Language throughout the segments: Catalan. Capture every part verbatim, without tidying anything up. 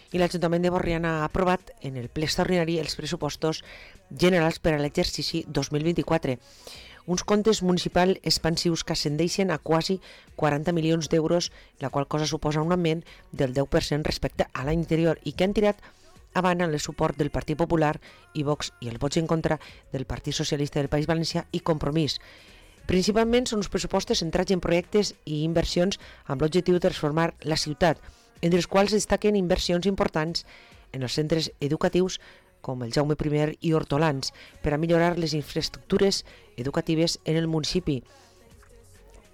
I l'Ajuntament de Borriana ha aprovat en el ple extraordinari els pressupostos generals per a l'exercici dos mil vint-i-quatre. Uns comptes municipals expansius que ascendeixen a quasi quaranta milions d'euros, la qual cosa suposa un augment del deu per cent respecte a l'any anterior i que han tirat avant el suport del Partit Popular i Vox i el vots en contra del Partit Socialista del País Valencià i Compromís. Principalment són uns pressupostos centrats en projectes i inversions amb l'objectiu de transformar la ciutat, entre els quals destaquen inversions importants en els centres educatius com el Jaume primer i Hortolans per a millorar les infraestructures educatives en el municipi.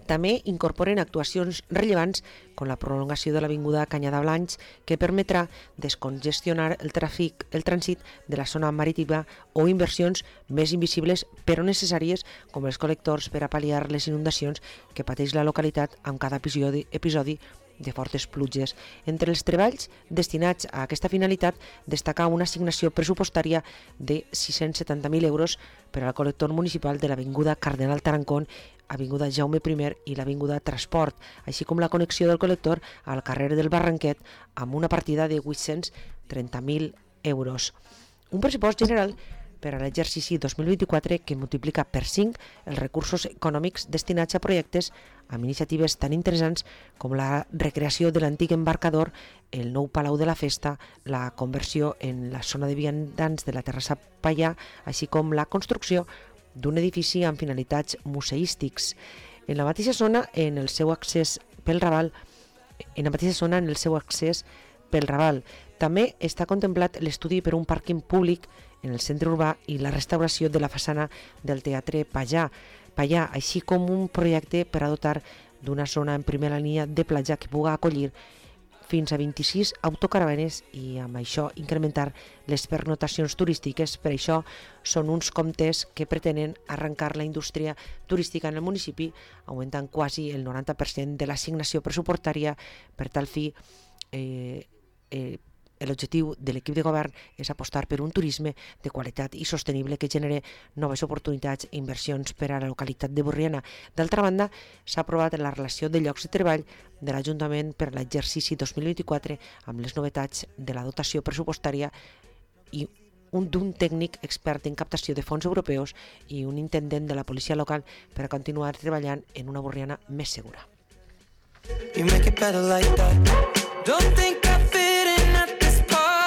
També incorporen actuacions rellevants com la prolongació de l'avinguda Canyada Blancs, que permetrà descongestionar el tràfic, el trànsit de la zona marítima, o inversions més invisibles però necessàries com els col·lectors per a pal·liar les inundacions que pateix la localitat amb cada episodi, episodi de fortes pluges. Entre els treballs destinats a aquesta finalitat destaca una assignació pressupostària de sis-cents setanta mil euros per al col·lector municipal de l'avinguda Cardenal Tarancón, avinguda Jaume primer i l'avinguda Transport, així com la connexió del col·lector al carrer del Barranquet amb una partida de vuit-cents trenta mil euros. Un pressupost general per a l'exercici dos mil vint-i-quatre que multiplica per cinc els recursos econòmics destinats a projectes amb iniciatives tan interessants com la recreació de l'antic embarcador, el nou Palau de la Festa, la conversió en la zona de viandants de la Terrassa Pallà, així com la construcció d'un edifici amb finalitats museístics. En la mateixa zona, en el seu accés pel Raval, en la mateixa zona, en el seu accés pel Raval, també està contemplat l'estudi per un pàrquing públic en el centre urbà i la restauració de la façana del Teatre Pallà, Pallà, així com un projecte per a dotar d'una zona en primera línia de platja que pugui acollir fins a vint-i-sis autocaravanes i amb això incrementar les pernotacions turístiques. Per això són uns comptes que pretenen arrencar la indústria turística en el municipi, augmentant quasi el noranta per cent de l'assignació pressupostària. Per tal fi, eh, eh, l'objectiu de l'equip de govern és apostar per un turisme de qualitat i sostenible que genere noves oportunitats i inversions per a la localitat de Borriana. D'altra banda, s'ha aprovat la relació de llocs de treball de l'Ajuntament per a l'exercici dos mil vint-i-quatre amb les novetats de la dotació pressupostària i un d'un tècnic expert en captació de fons europeus i un intendent de la policia local per a continuar treballant en una Borriana més segura. You make it better like that. Don't think